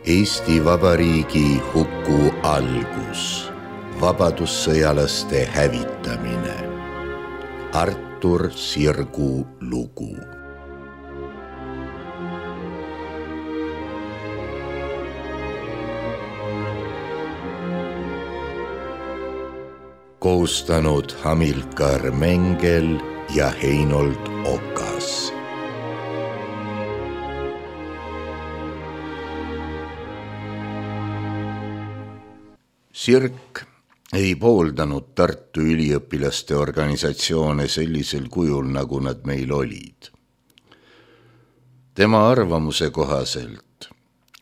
Eesti Vabariigi huku algus, vabadussõjalaste hävitamine. Artur Sirgu lugu. Koostanud Hamilkar Mengel ja Heinold Okas. Sirk ei pooldanud Tartu üliõpilaste organisatsioone sellisel kujul, nagu nad meil olid. Tema arvamuse kohaselt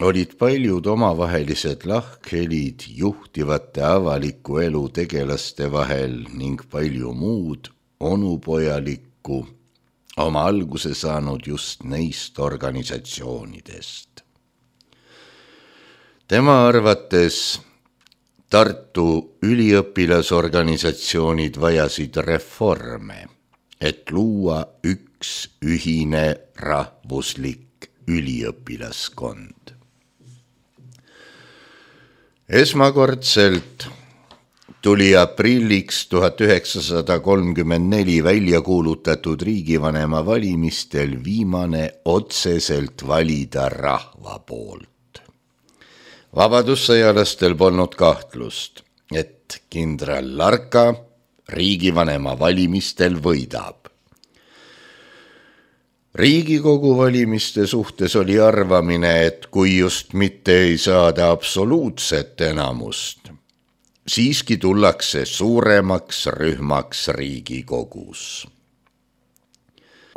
olid paljud omavahelised lahkhelid juhtivate avaliku elu tegelaste vahel ning palju muud onupojalikku oma alguse saanud just neist organisatsioonidest. Tema arvates Tartu üliõpilasorganisatsioonid vajasid reforme, et luua üks ühine rahvuslik üliõpilaskond. Esmakordselt tuli aprilliks 1934 välja kuulutatud riigivanema valimistel viimane otseselt valida rahva poolt. Vabadussõjalastel polnud kahtlust, et kindral Larka riigivanema valimistel võidab. Riigikogu valimiste suhtes oli arvamine, et kui just mitte ei saada absoluutset enamust, siiski tullakse suuremaks rühmaks Riigikogus.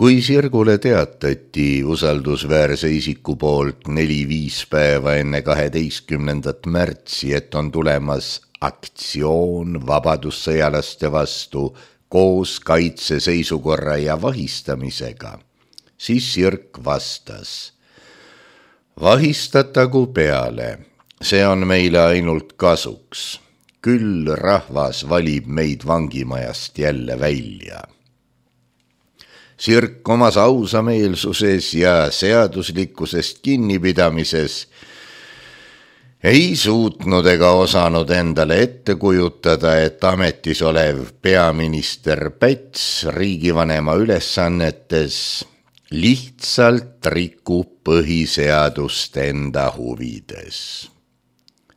Kui Sirgule teatati usaldusväärse isiku poolt 4-5 päeva enne 12. märtsi, et on tulemas aktsioon vabadussõjalaste vastu koos kaitseseisukorra ja vahistamisega, siis Sirk vastas: vahistatagu peale, see on meile ainult kasuks, küll rahvas valib meid vangimajast jälle välja. Sirk omas ausameelsuses ja seaduslikkusest kinnipidamises ei suutnud ega osanud endale ette kujutada, et ametis olev peaminister Päts riigivanema ülesannetes lihtsalt rikub põhiseadust enda huvides.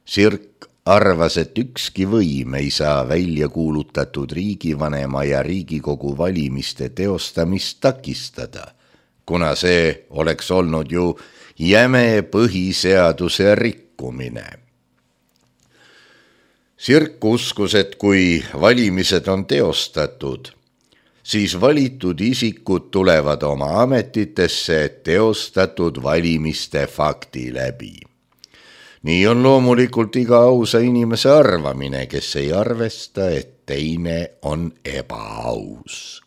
Sirk arvas, et ükski võim ei saa välja kuulutatud riigivanema ja Riigikogu valimiste teostamist takistada, kuna see oleks olnud ju jäme põhiseaduse rikkumine. Sirk uskus, et kui valimised on teostatud, siis valitud isikud tulevad oma ametitesse teostatud valimiste fakti läbi. Nii on loomulikult iga ausa inimese arvamine, kes ei arvesta, et teine on ebaaus.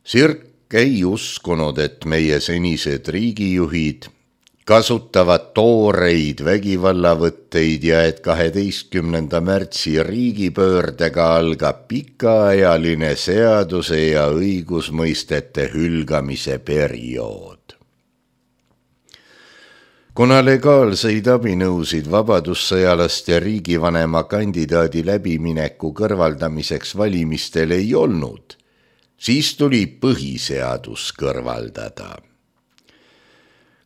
Sirk ei uskunud, et meie senised riigijuhid kasutavad tooreid vägivallavõtteid ja et 12. märtsi riigipöördega algab pikaajaline seaduse ja õigusmõistete hülgamise periood. Kuna legaalseid abinõusid vabadussõjalaste riigivanema kandidaadi läbimineku kõrvaldamiseks valimistel ei olnud, siis tuli põhiseadus kõrvaldada.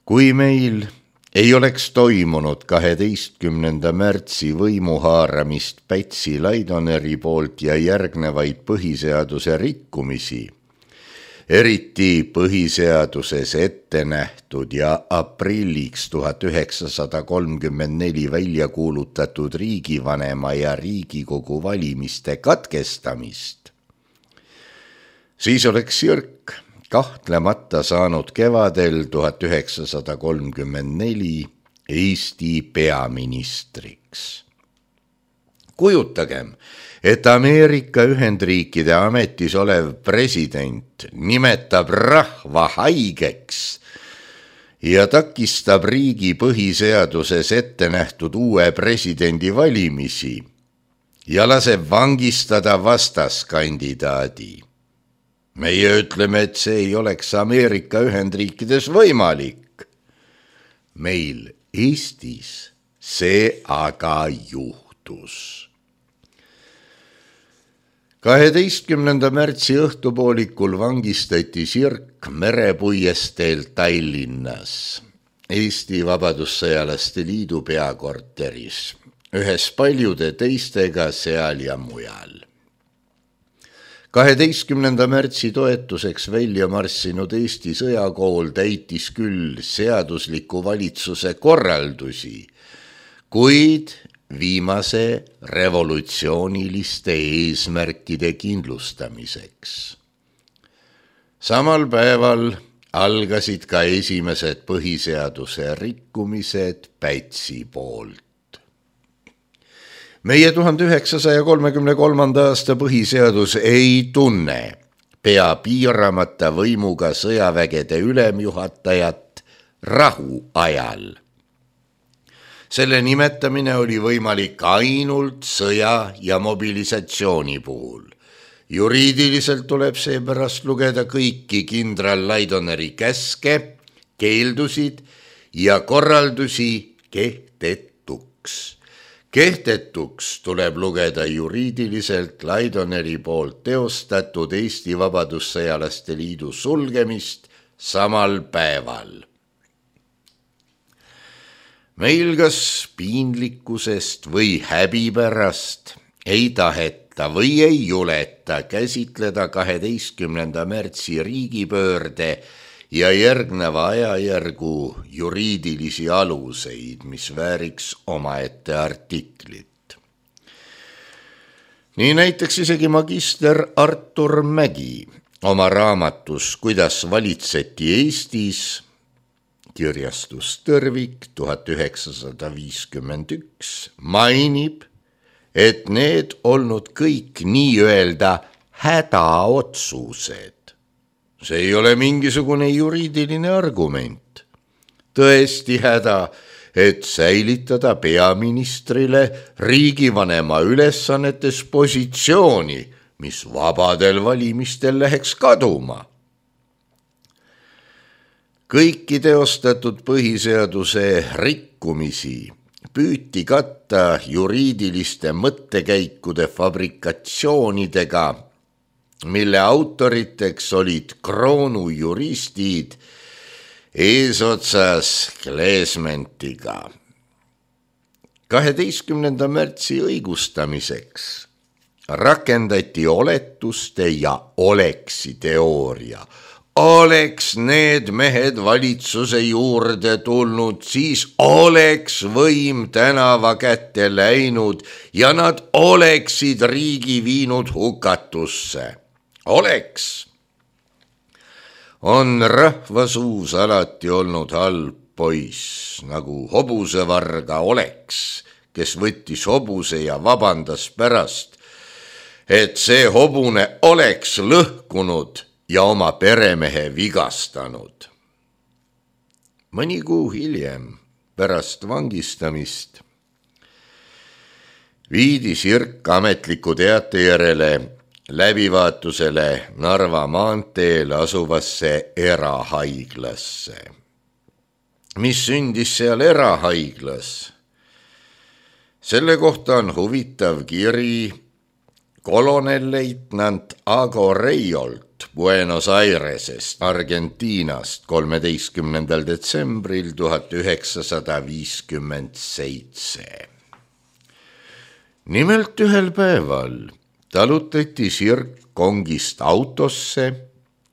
Kui meil ei oleks toimunud 12. märtsi võimuhaaramist Pätsi Laidoneri poolt ja järgnevaid põhiseaduse rikkumisi, eriti põhiseaduses ette nähtud ja aprilliks 1934 välja kuulutatud riigivanema ja Riigikogu valimiste katkestamist, siis oleks Sirk kahtlemata saanud kevadel 1934 Eesti peaministriks. Kujutagem, et Ameerika Ühendriikide ametis olev president nimetab rahva haigeks ja takistab riigi põhiseaduses ette nähtud uue presidendi valimisi ja laseb vangistada vastaskandidaadi. Meie ütleme, et see ei oleks Ameerika Ühendriikides võimalik. Meil Eestis see aga juhtus. 12. märtsi õhtupoolikul vangistati Sirk merepuiesteel Tallinnas, Eesti Vabadussõjalaste Liidu peakorteris, ühes paljude teistega seal ja mujal. 12. märtsi toetuseks välja marssinud Eesti sõjakool täitis küll seadusliku valitsuse korraldusi, kuid viimase revolutsiooniliste eesmärkide kindlustamiseks. Samal päeval algasid ka esimesed põhiseaduse rikkumised Pätsi poolt. Meie 1933. aasta põhiseadus ei tunne pea piiramata võimuga sõjavägede ülemjuhatajat rahu ajal. Selle nimetamine oli võimalik ainult sõja ja mobilisatsiooni puhul. Juriidiliselt tuleb seepärast lugeda kõiki kindral Laidoneri käske, keeldusid ja korraldusi kehtetuks. Kehtetuks tuleb lugeda juriidiliselt Laidoneri poolt teostatud Eesti Vabadussõjalaste Liidu sulgemist samal päeval. Meil kas piinlikkusest või häbipärast ei taheta või ei juleta käsitleda 12. märtsi riigipöörde ja järgneva ajajärgu juriidilisi aluseid, mis vääriks omaette artiklit. Nii näiteks isegi magister Artur Mägi oma raamatus Kuidas valitseti Eestis, kirjastus Tõrvik 1951, mainib, et need olnud kõik nii-öelda hädaotsused. See ei ole mingisugune juriidiline argument. Tõesti häda, et säilitada peaministrile riigivanema ülesannetes positsiooni, mis vabadel valimistel läheks kaduma. Kõiki teostatud põhiseaduse rikkumisi püüti katta juriidiliste mõttekäikude fabrikatsioonidega, mille autoriteks olid kroonujuristid eesotsas Kleesmentiga. 12. märtsi õigustamiseks rakendati oletuste ja oleksi teooria. Oleks need mehed valitsuse juurde tulnud, siis oleks võim tänava kätte läinud ja nad oleksid riigi viinud hukatusse. Oleks. On rahvasuus alati olnud halb poiss, nagu hobusevarga Oleks, kes võttis hobuse ja vabandas pärast, et see hobune oleks lõhkunud ja oma peremehe vigastanud. Mõni kuu hiljem, pärast vangistamist, viidi Sirk ametliku teate järele läbivaatusele Narva maanteel asuvasse erahaiglasse. Mis sündis seal erahaiglas? Selle kohta on huvitav kiri kolonelleitnant Ago Reiolt Buenos Airesest, Argentiinast 13. detsembril 1957. Nimelt ühel päeval talutati Sirk kongist autosse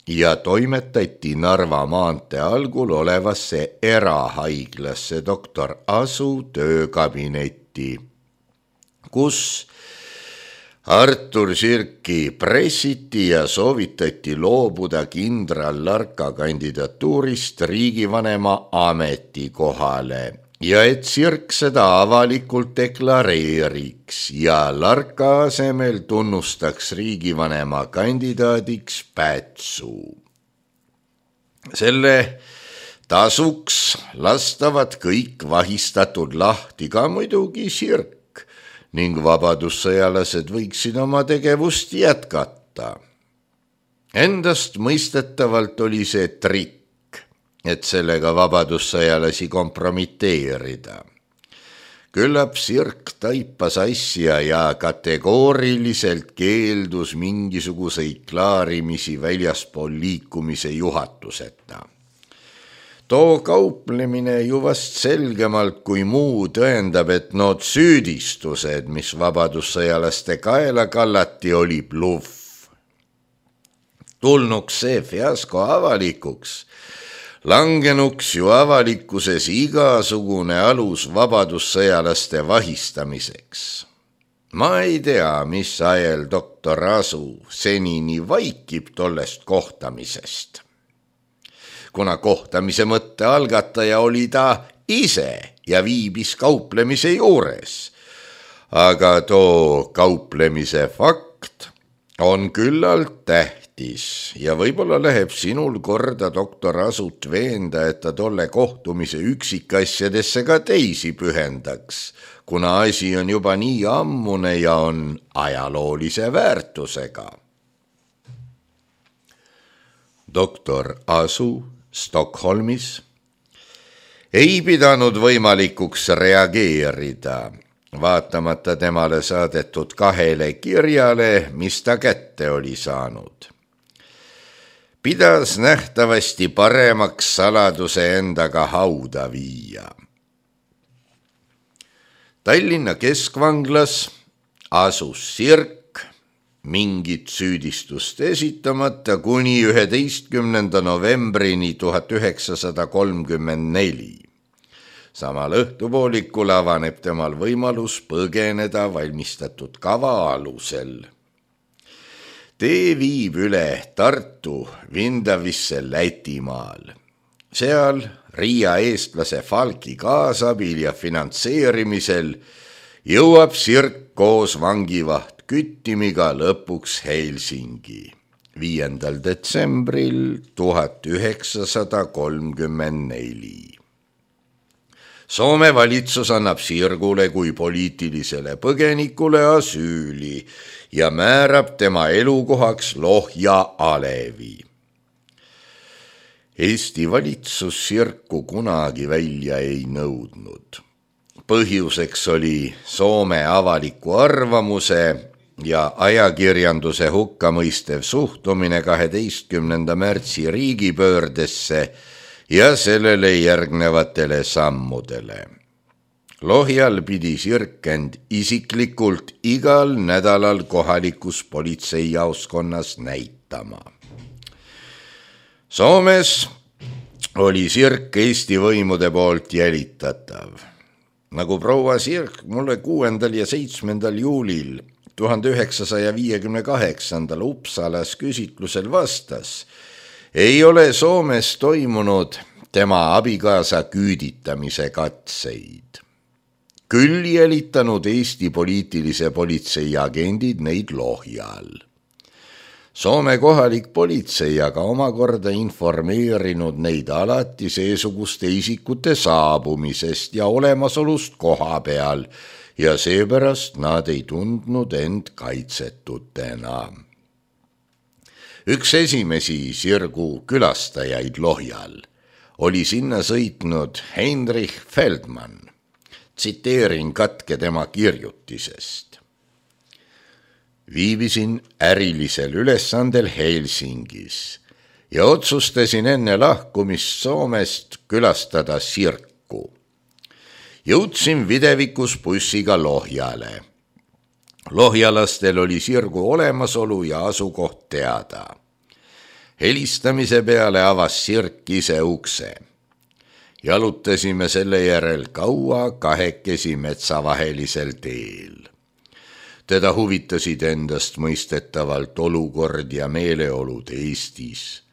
ja toimetati Narva maantee algul olevasse erahaiglasse doktor Asu töökabinetti, kus Artur Sirki pressiti ja soovitati loobuda kindral Larka kandidatuurist riigivanema ametikohale ja et Sirk seda avalikult deklareeriks ja Larka asemel tunnustaks riigivanema kandidaadiks Pätsu. Selle tasuks lastavad kõik vahistatud lahti, ka muidugi Sirk, ning vabadussõjalased võiksid oma tegevust jätkata. Endast mõistetavalt oli see trikk, et sellega vabadussõjalasi kompromiteerida. Küllap Sirk taipas asja ja kategooriliselt keeldus mingisuguseid klaarimisi väljaspool liikumise juhatuseta. Too kauplemine ju vast selgemalt kui muu tõendab, et nood süüdistused, mis vabadussõjalaste kaela kallati, oli bluff. Tulnuks see fiasko avalikuks, langenuks ju avalikkuses igasugune alus vabadussõjalaste vahistamiseks. Ma ei tea, mis ajal doktor Asu senini vaikib tollest kohtamisest. Kuna kohtamise mõtte algataja oli ta ise ja viibis kauplemise juures, aga too kauplemise fakt on küllalt tähtis ja võib-olla läheb sinul korda doktor Asut veenda, et ta tolle kohtumise üksikasjadesse ka teisi pühendaks, kuna asi on juba nii ammune ja on ajaloolise väärtusega. Doktor Asu Stockholmis ei pidanud võimalikuks reageerida, vaatamata temale saadetud 2 kirjale, mis ta kätte oli saanud. Pidas nähtavasti paremaks saladuse endaga hauda viia. Tallinna keskvanglas asus Sirk mingit süüdistust esitamata kuni 11. novembrini 1934. Samal õhtupoolikul avaneb temal võimalus põgeneda valmistatud kava alusel. Tee viib üle Tartu Vindavisse Lätimaal. Seal Riia eestlase Falki kaasabil ja finantseerimisel jõuab Sirk koos vangivaht Küttimiga lõpuks Helsingi 5. detsembril 1934. Soome valitsus annab Sirgule kui poliitilisele põgenikule asüüli ja määrab tema elukohaks Lohja alevi. Eesti valitsus Sirku kunagi välja ei nõudnud. Põhjuseks oli Soome avaliku arvamuse ja ajakirjanduse hukkamõistev suhtumine 12. märtsi riigipöördesse ja sellele järgnevatele sammudele. Lohjal pidi Sirk end isiklikult igal nädalal kohalikus politseijaoskonnas näitama. Soomes oli Sirk Eesti võimude poolt jälitatav. Nagu proua Sirk mulle 6. ja 7. juulil 1958. Uppsalas küsitlusel vastas, ei ole Soomes toimunud tema abikaasa küüditamise katseid. Küll jälitanud Eesti poliitilise politsei agendid neid Lohjal. Soome kohalik politsei aga omakorda informeerinud neid alati seesuguste isikute saabumisest ja olemasolust koha peal ja seepärast nad ei tundnud end kaitsetutena. Üks esimesi Sirgu külastajaid Lohjal oli sinna sõitnud Heinrich Feldmann. Tsiteerin katke tema kirjutisest. Viibisin ärilisel ülesandel Helsingis ja otsustasin enne lahkumist Soomest külastada Sirku. Jõudsin videvikus bussiga Lohjale. Lohjalastel oli Sirgu olemasolu ja asukoht teada. Helistamise peale avas Sirk ise ukse. Jalutasime selle järel kaua kahekesi metsavahelisel teel. Teda huvitasid endast mõistetavalt olukord ja meeleolud Eestis.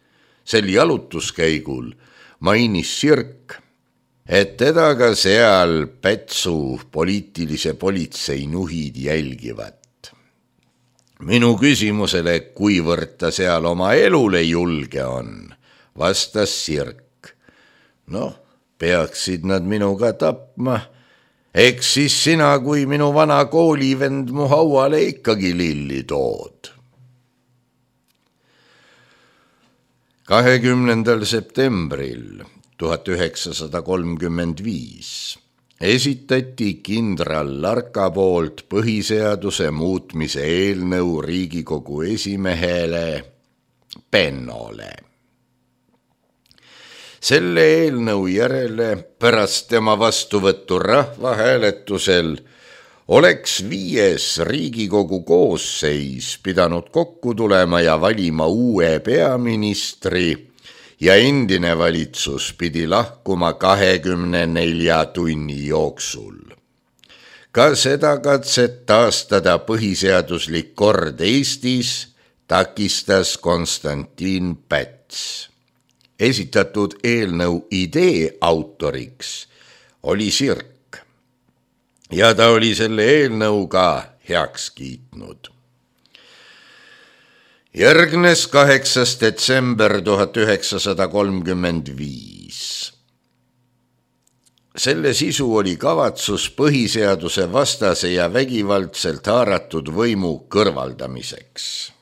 Sel jalutuskäigul mainis Sirk, et teda ka seal Pätsu poliitilise politsei nuhid jälgivad. Minu küsimusele, kuivõrd ta seal oma elule julge on, vastas Sirk. Noh, peaksid nad minuga tapma, eks siis sina kui minu vana koolivend mu hauale ikkagi lilli tood. 20. septembril 1935 esitati kindral Larka poolt põhiseaduse muutmise eelnõu Riigikogu esimehele Pennole. Selle eelnõu järele pärast tema vastuvõttu rahvahääletusel oleks 5. Riigikogu koosseis pidanud kokku tulema ja valima uue peaministri ja endine valitsus pidi lahkuma 24 tunni jooksul. Ka seda katset taastada põhiseaduslik kord Eestis takistas Konstantin Päts. Esitatud eelnõu idee autoriks oli Sirk ja ta oli selle eelnõuga heaks kiitnud. Järgnes 8. detsember 1935. Selle sisu oli kavatsus põhiseaduse vastase ja vägivaldselt haaratud võimu kõrvaldamiseks.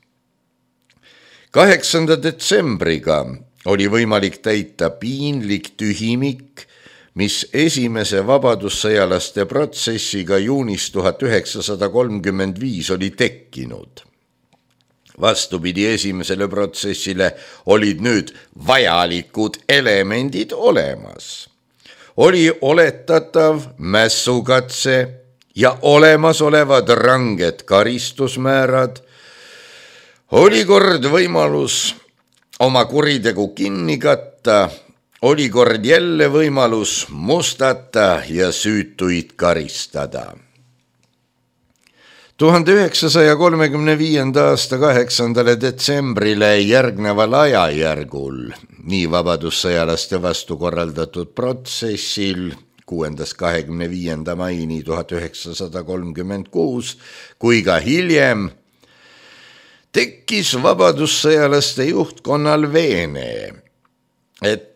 8. detsembriga oli võimalik täita piinlik tühimik, mis esimese vabadussõjalaste protsessiga juunis 1935 oli tekkinud. Vastupidi esimesele protsessile olid nüüd vajalikud elemendid olemas. Oli oletatav mässukatse ja olemasolevad ranged karistusmäärad, oli kord võimalus oma kuritegu kinni katta, oli kord jälle võimalus mustata ja süütuid karistada. 1935. aasta 8. detsembrile järgneval ajajärgul, nii vabadussõjalaste vastu korraldatud protsessil 6.–25. maini 1936 kui ka hiljem, tekkis vabadussõjalaste juhtkonnal veene, et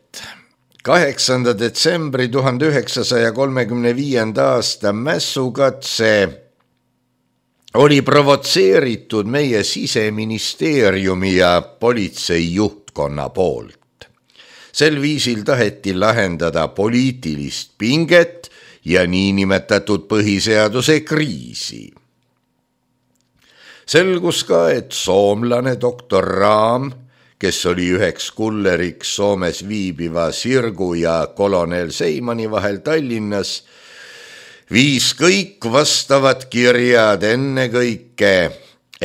8. detsembri 1935. aasta mässukatse oli provotseeritud meie Siseministeeriumi ja politsei juhtkonna poolt. Sel viisil taheti lahendada poliitilist pinget ja niinimetatud põhiseaduse kriisi. Selgus ka, et soomlane doktor Raam, kes oli üheks kulleriks Soomes viibiva Sirgu ja kolonel Seimani vahel Tallinnas, viis kõik vastavad kirjad ennekõike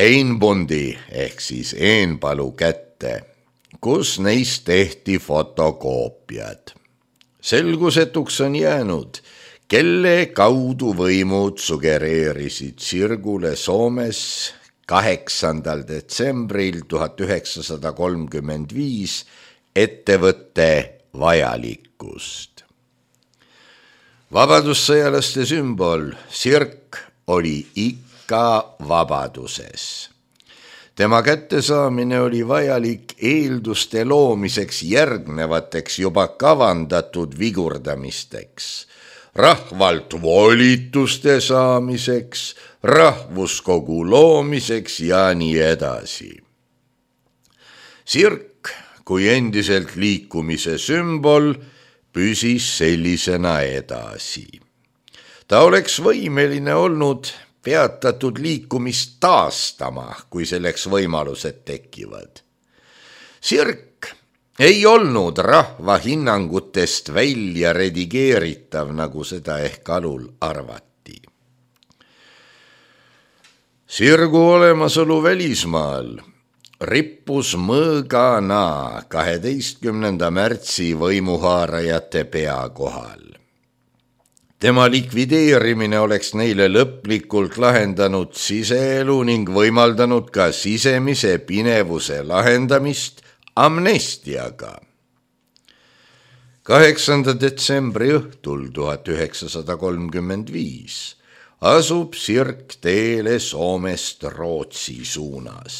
Einbundi ehk siis Eenpalu kätte, kus neist tehti fotokoopiad. Selgusetuks on jäänud, kelle kaudu võimud sugereerisid Sirgule Soomes 8. detsembril 1935 ettevõtte vajalikkust. Vabadussõjalaste sümbol Sirk oli ikka vabaduses. Tema kättesaamine oli vajalik eelduste loomiseks järgnevateks juba kavandatud vigurdamisteks, rahvalt volituste saamiseks, rahvuskogu loomiseks ja nii edasi. Sirk kui endiselt liikumise sümbol püsis sellisena edasi. Ta oleks võimeline olnud peatatud liikumist taastama, kui selleks võimalused tekivad. Sirk ei olnud rahva hinnangutest välja redigeeritav, nagu seda ehk alul arvati. Sirgu olemasolu välismaal rippus mõõgana 12. märtsi võimuhaarajate pea kohal. Tema likvideerimine oleks neile lõplikult lahendanud siseelu ning võimaldanud ka sisemise pinevuse lahendamist amnestiaga. 8. detsembri õhtul 1935 asub Sirk teele Soomest Rootsi suunas.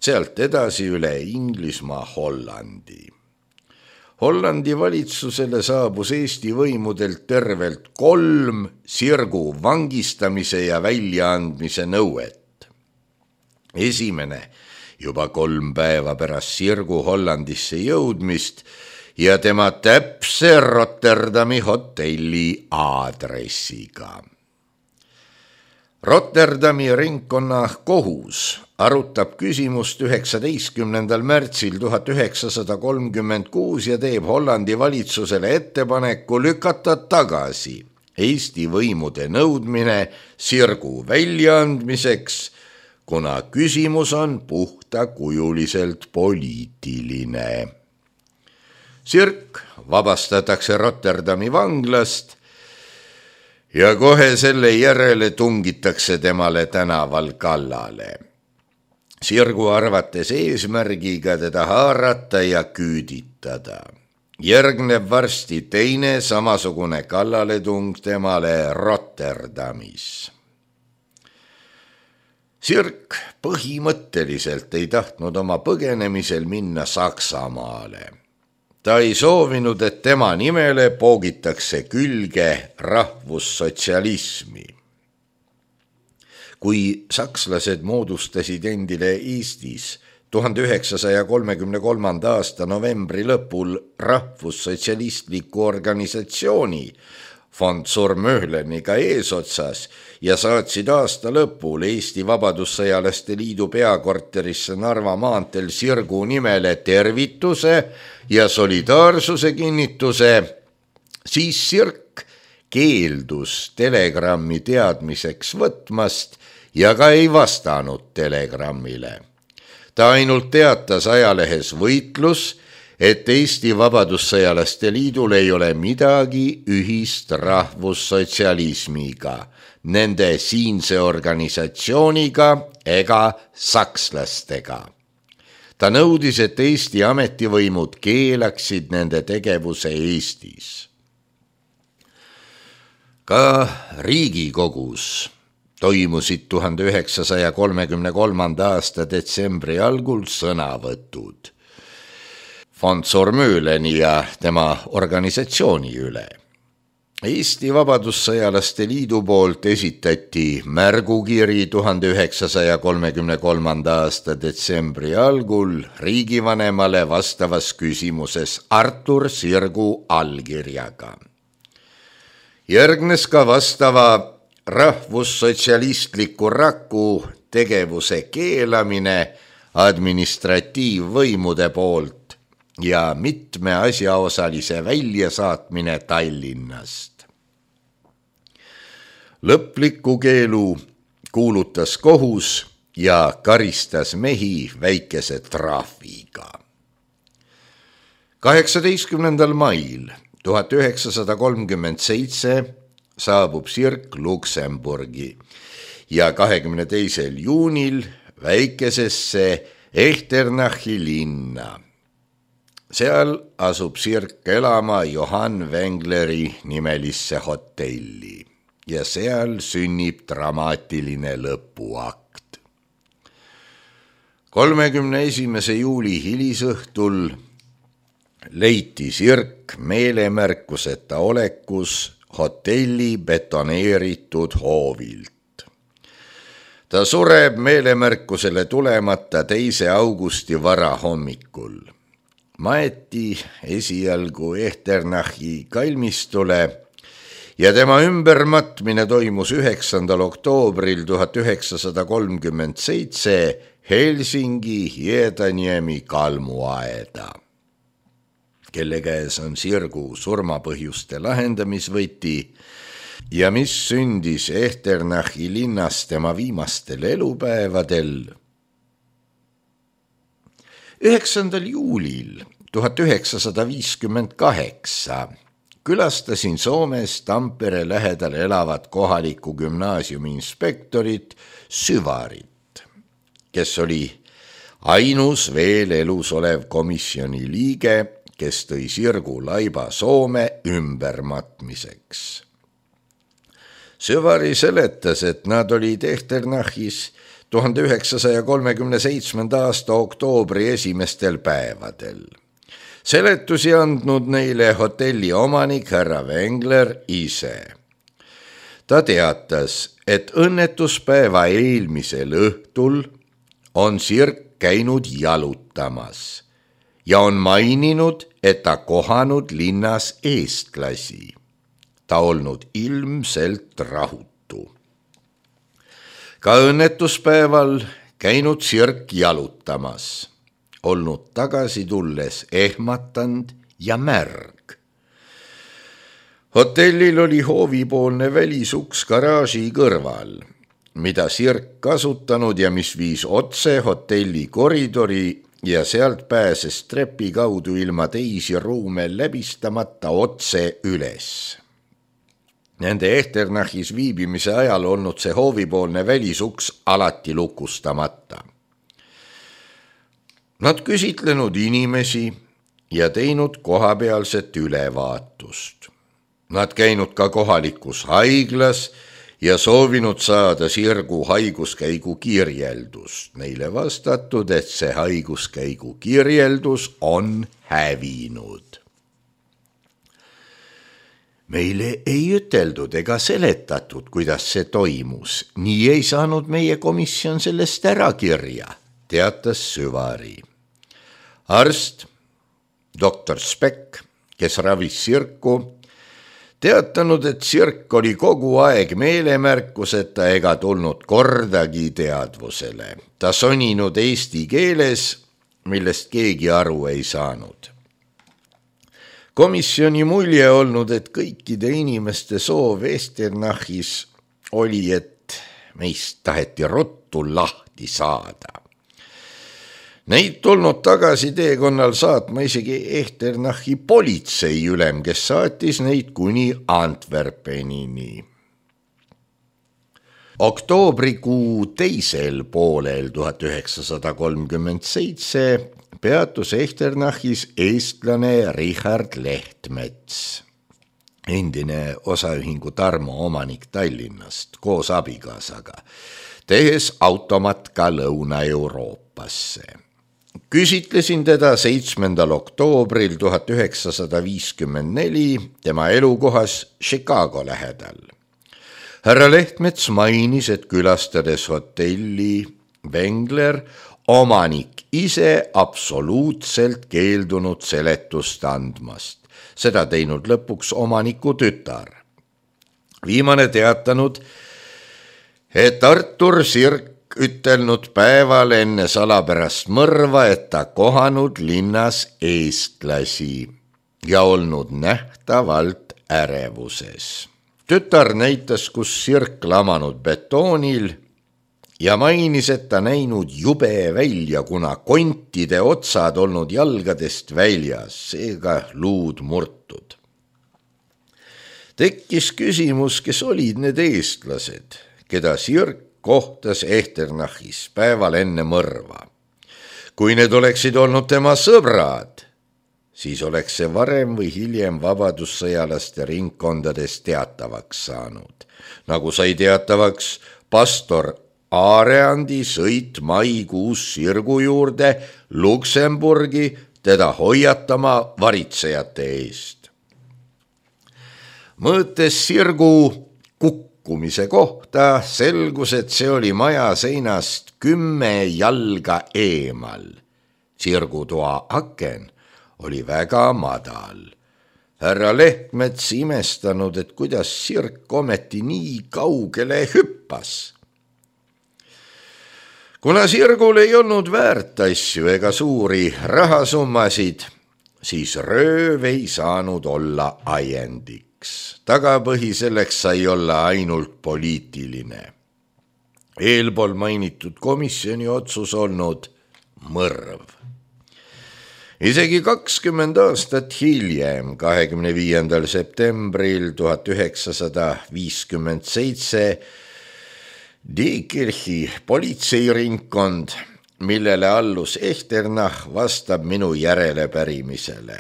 Sealt edasi üle Inglismaa Hollandi. Hollandi valitsusele saabus Eesti võimudelt tervelt 3 Sirgu vangistamise ja väljaandmise nõuet. Esimene juba 3 päeva pärast Sirgu Hollandisse jõudmist ja tema täpse Rotterdami hotelli aadressiga. Rotterdami ringkonna kohus arutab küsimust 19. märtsil 1936 ja teeb Hollandi valitsusele ettepaneku lükata tagasi Eesti võimude nõudmine Sirgu väljaandmiseks, kuna küsimus on puhtakujuliselt poliitiline. Sirk vabastatakse Rotterdami vanglast ja kohe selle järele tungitakse temale tänaval kallale. Sirgu arvates eesmärgiga teda haarata ja küüditada. Järgneb varsti teine samasugune kallaletung temale Rotterdamis. Sirk põhimõtteliselt ei tahtnud oma põgenemisel minna Saksamaale. Ta ei soovinud, et tema nimele poogitakse külge rahvussotsialismi. Kui sakslased moodustasid endile Eestis 1933. aasta novembri lõpul rahvussotsialistliku organisatsiooni von Zurmöhleniga eesotsas ja saatsid aasta lõpul Eesti Vabadussõjalaste Liidu peakorterisse Narva maanteel Sirgu nimele tervituse ja solidaarsuse kinnituse, siis Sirk keeldus telegrammi teadmiseks võtmast ja ka ei vastanud telegrammile. Ta ainult teatas ajalehes Võitlus, et Eesti Vabadussõjalaste Liidul ei ole midagi ühist rahvussotsialismiga, nende siinse organisatsiooniga ega sakslastega. Ta nõudis, et Eesti ametivõimud keelaksid nende tegevuse Eestis. Ka Riigikogus toimusid 1933. aasta detsembri algul sõnavõtud von Zurmöhleni ja tema organisatsiooni üle. Eesti Vabadussõjalaste Liidu poolt esitati märgukiri 1933. aasta detsembri algul riigivanemale vastavas küsimuses Artur Sirgu allkirjaga. Järgnes ka vastava rahvussotsialistliku raku tegevuse keelamine administratiivvõimude poolt ja mitme asjaosalise väljasaatmine Tallinnast. Lõpliku keelu kuulutas kohus ja karistas mehi väikese trahviga. 18. mail 1937 saabub Sirk Luksemburgi ja 22. juunil väikesesse Echternachi linna. Seal asub Sirk elama Johann Wengleri nimelisse hotelli ja seal sünnib dramaatiline lõpuakt. 31. juuli hilisõhtul leiti Sirk meelemärkuseta olekus hotelli betoneeritud hoovilt. Ta sureb meelemärkusele tulemata 2. augusti varahommikul. Maeti esialgu Echternachi kalmistule ja tema ümbermatmine toimus 9. oktoobril 1937 Helsingi Hiedaniemi kalmuaeda. Kelle käes on Sirgu surmapõhjuste lahendamisvõti ja mis sündis Echternachi linnas tema viimastel elupäevadel. 9. juulil 1958 külastasin Soomes Tampere lähedal elavat kohaliku gümnaasiumi inspektorit Syvarit, kes oli ainus veel elus olev komisjoni liige, kes tõi Sirgu laiba Soome ümbermatmiseks. Syvari seletas, et nad olid Echternachis 1937. aasta oktoobri esimestel päevadel. Seletusi andnud neile hotelli omanik härra Wengler ise. Ta teatas, et õnnetuspäeva eelmisel õhtul on Sirk käinud jalutamas ja on maininud, et ta kohanud linnas eestlasi. Ta olnud ilmselt rahutu. Ka õnnetuspäeval käinud Sirk jalutamas, olnud tagasi tulles ehmatanud ja märg. Hotellil oli hoovipoolne välisuks garaaži kõrval, mida Sirk kasutanud ja mis viis otse hotelli koridori ja sealt pääses trepi kaudu ilma teisi ruume läbistamata otse üles. Nende Echternachis viibimise ajal olnud see hoovipoolne välisuks alati lukustamata. Nad küsitlenud inimesi ja teinud kohapealset ülevaatust. Nad käinud ka kohalikus haiglas ja soovinud saada Sirgu haiguskäigu kirjeldust. Neile vastatud, et see haiguskäigu kirjeldus on hävinud. Meile ei üteldud ega seletatud, kuidas see toimus. Nii ei saanud meie komisjon sellest ära kirja, teatas Süvari. Arst, doktor Speck, kes ravis Sirku, teatanud, et Sirk oli kogu aeg meelemärkuseta ega tulnud kordagi teadvusele. Ta soninud eesti keeles, millest keegi aru ei saanud. Komisjoni mulje olnud, et kõikide inimeste soov Echternachis oli, et meist taheti ruttu lahti saada. Neid tulnud tagasi teekonnal saatma isegi Echternachi politseiülem, kes saatis neid kuni Antwerpenini. Oktoobrikuu teisel poolel 1937 peatus Echternachis eestlane Richard Lehtmets, endine osaühingu Tarmo omanik Tallinnast koos abikaasaga, tehes automatka Lõuna-Euroopasse. Küsitlesin teda 7. oktoobril 1954 tema elukohas Chicago lähedal. Härra Lehtmets mainis, et külastades hotelli Wengler, omanik ise absoluutselt keeldunud seletust andmast. Seda teinud lõpuks omaniku tütar. Viimane teatanud, et Artur Sirk ütelnud päeval enne salapärast mõrva, et ta kohanud linnas eestlasi ja olnud nähtavalt ärevuses. Tütar näitas, kus Sirk lamanud betoonil ja mainis, et ta näinud jube välja, kuna kontide otsad olnud jalgadest väljas, seega luud murtud. Tekkis küsimus, kes olid need eestlased, keda Sirk kohtas Echternachis päeval enne mõrva. Kui need oleksid olnud tema sõbrad, siis oleks see varem või hiljem vabadussõjalaste ringkondades teatavaks saanud. Nagu sai teatavaks pastor Aareandi sõit maikuus Sirgu juurde Luksemburgi teda hoiatama varitsejate eest. Mõõtes Sirgu kukkumise kohta selgus, et see oli maja seinast 10 jalga eemal. Sirgu toa aken oli väga madal. Härra Lehtmets imestanud, et kuidas Sirk ometi nii kaugele hüppas. Kuna Sirgul ei olnud väärt asju ega suuri rahasummasid, siis rööv ei saanud olla ajendiks. Tagapõhi selleks sai olla ainult poliitiline. Eelpool mainitud komisjoni otsus olnud mõrv. Isegi 20 aastat hiljem, 25. septembril 1957, Diekirchi politseiringkond, millele allus Echternach, vastab minu järelepärimisele.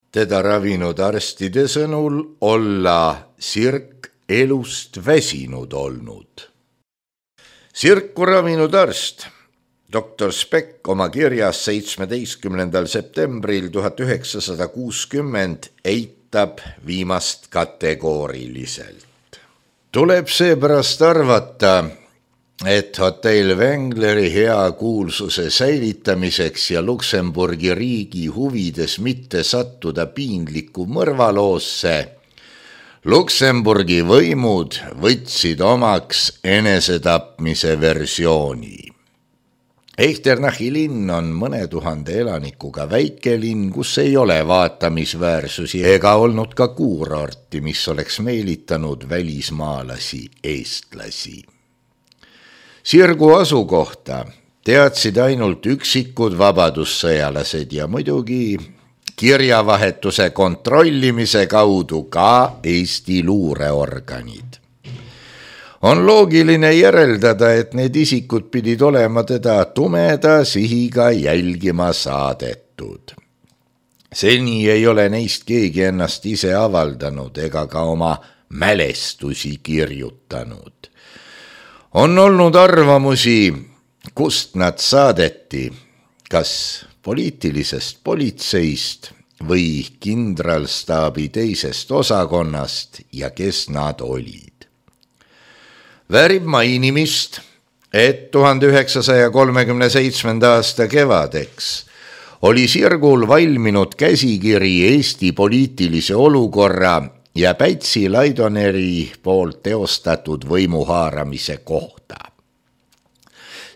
Teda ravinud arstide sõnul olla Sirk elust väsinud olnud. Sirku ravinud arst, doktor Speck oma kirjas 17. septembril 1960 eitab viimast kategooriliselt. Tuleb seepärast arvata, et hotell Wengleri hea kuulsuse säilitamiseks ja Luksemburgi riigi huvides mitte sattuda piinlikku mõrvaloosse, Luksemburgi võimud võtsid omaks enesetapmise versiooni. Echternach'i linn on mõne tuhande elanikuga väikelinn, kus ei ole vaatamisväärsusi ega olnud ka kuurorti, mis oleks meelitanud välismaalasi eestlasi. Sirgu asukohta teadsid ainult üksikud vabadussõjalased ja muidugi kirjavahetuse kontrollimise kaudu ka Eesti luureorganid. On loogiline järeldada, et need isikud pidid olema teda tumeda sihiga jälgima saadetud. Seni ei ole neist keegi ennast ise avaldanud ega ka oma mälestusi kirjutanud. On olnud arvamusi, kust nad saadeti, kas poliitilisest politseist või kindralstaabi teisest osakonnast ja kes nad olid. Väärib mainimist, et 1937. aasta kevadeks oli Sirgul valminud käsikiri Eesti poliitilise olukorra ja Pätsi Laidoneri poolt teostatud võimuhaaramise kohta.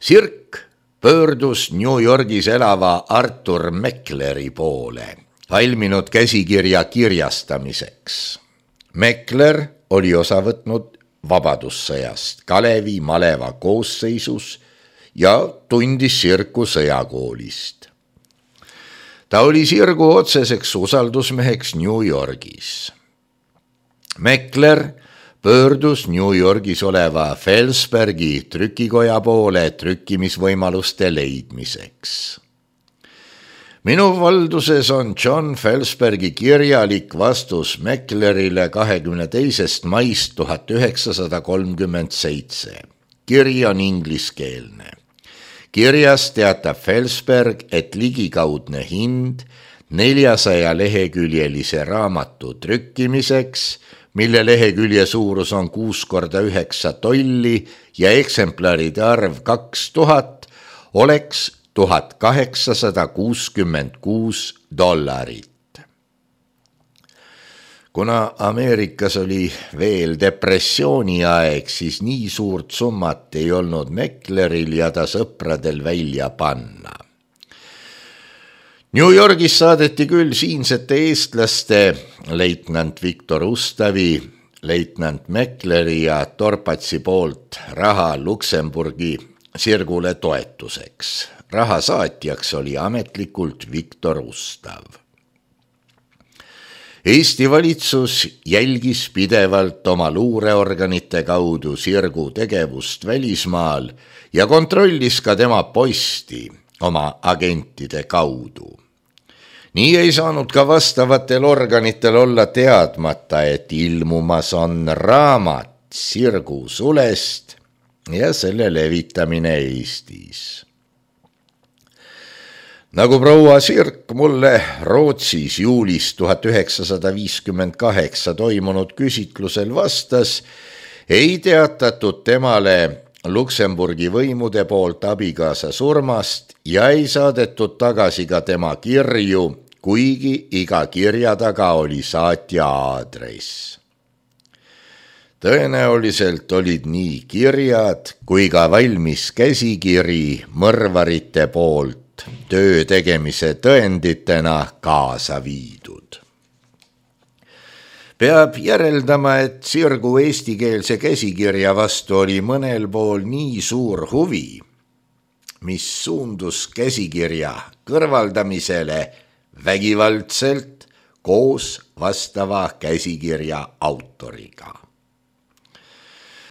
Sirk pöördus New Yorgis elava Arthur Meckleri poole valminud käsikirja kirjastamiseks. Meckler oli osa võtnud vabadussõjast Kalevi maleva koosseisus ja tundis Sirku sõjakoolist. Ta oli Sirgu otseseks usaldusmeheks New Yorgis. Meckler pöördus New Yorgis oleva Felsbergi trükikoja poole trükkimisvõimaluste leidmiseks. Minu valduses on John Felsbergi kirjalik vastus Mecklerile 22. maist 1937. Kiri on ingliskeelne. Kirjas teatab Felsberg, et ligikaudne hind 400 leheküljelise raamatu trükkimiseks, mille lehekülje suurus on 6x9 tolli ja eksemplaride arv 2000, oleks $1866. Kuna Ameerikas oli veel depressiooni aeg, siis nii suurt summat ei olnud Meckleril ja ta sõpradel välja panna. New Yorgis saadeti küll siinsete eestlaste leitnant Viktor Ustavi, leitnant Meckleri ja Torpatsi poolt raha Luksemburgi Sirgule toetuseks. Raha saatjaks oli ametlikult Viktor Ustav. Eesti valitsus jälgis pidevalt oma luureorganite kaudu Sirgu tegevust välismaal ja kontrollis ka tema posti oma agentide kaudu. Nii ei saanud ka vastavatel organitel olla teadmata, et ilmumas on raamat Sirgu sulest ja selle levitamine Eestis. Nagu proua Sirk mulle Rootsis juulis 1958 toimunud küsitlusel vastas, ei teatatud temale Luksemburgi võimude poolt abikaasa surmast ja ei saadetud tagasi ka tema kirju, kuigi iga kirja taga oli saatja aadress. Tõenäoliselt olid nii kirjad kui ka valmis käsikiri mõrvarite poolt töö tegemise tõenditena kaasa viidud. Peab järeldama, et Sirgu eestikeelse käsikirja vastu oli mõnel pool nii suur huvi, mis suundus käsikirja kõrvaldamisele vägivaldselt koos vastava käsikirja autoriga.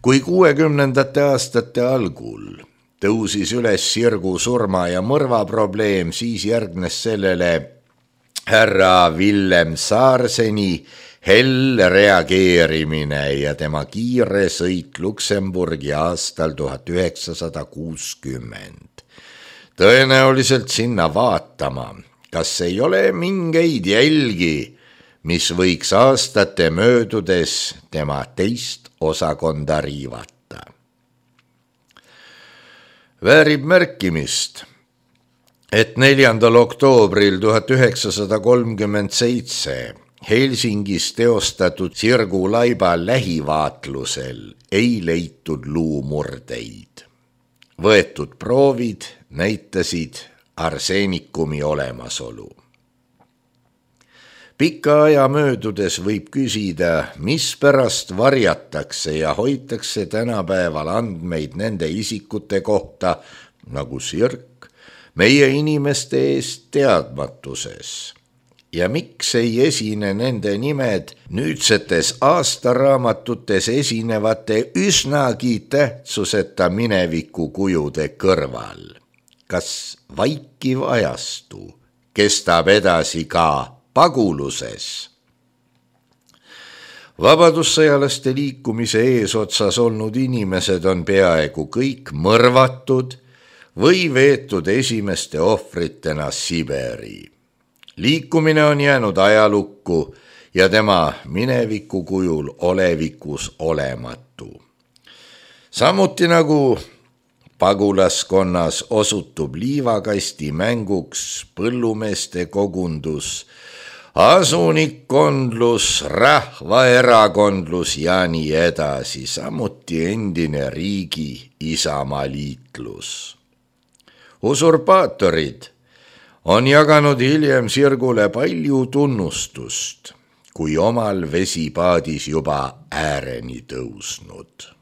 Kui 60. aastate algul tõusis üles Sirgu surma ja mõrva probleem, siis järgnes sellele härra Villem Saarseni hell reageerimine ja tema kiire sõit Luksemburgi aastal 1960. Tõenäoliselt sinna vaatama, kas ei ole mingeid jälgi, mis võiks aastate möödudes tema teist osakonda riivata. Väärib märkimist, et 4. oktoobril 1937 Helsingis teostatud Sirgu Laiba lähivaatlusel ei leitud luumurdeid. Võetud proovid näitasid arseenikumi olemasolu. Pika aja möödudes võib küsida, mispärast varjatakse ja hoitakse tänapäeval andmeid nende isikute kohta, nagu Sirk, meie inimeste eest teadmatuses. Ja miks ei esine nende nimed nüüdsetes aastaraamatutes esinevate üsnagi tähtsuseta minevikukujude kõrval? Kas vaikiv ajastu kestab edasi ka paguluses? Vabadussõjalaste liikumise eesotsas olnud inimesed on peaaegu kõik mõrvatud või veetud esimeste ohvritena Siberi. Liikumine on jäänud ajalukku ja tema mineviku kujul olevikus olematu. Samuti nagu pagulaskonnas osutub liivakasti mänguks põllumeeste kogundus, asunikkondlus, rahvaerakondlus ja nii edasi, samuti endine riigi isamaliitlus. Usurpaatorid on jaganud hiljem Sirgule palju tunnustust, kui omal vesipaadis juba ääreni tõusnud.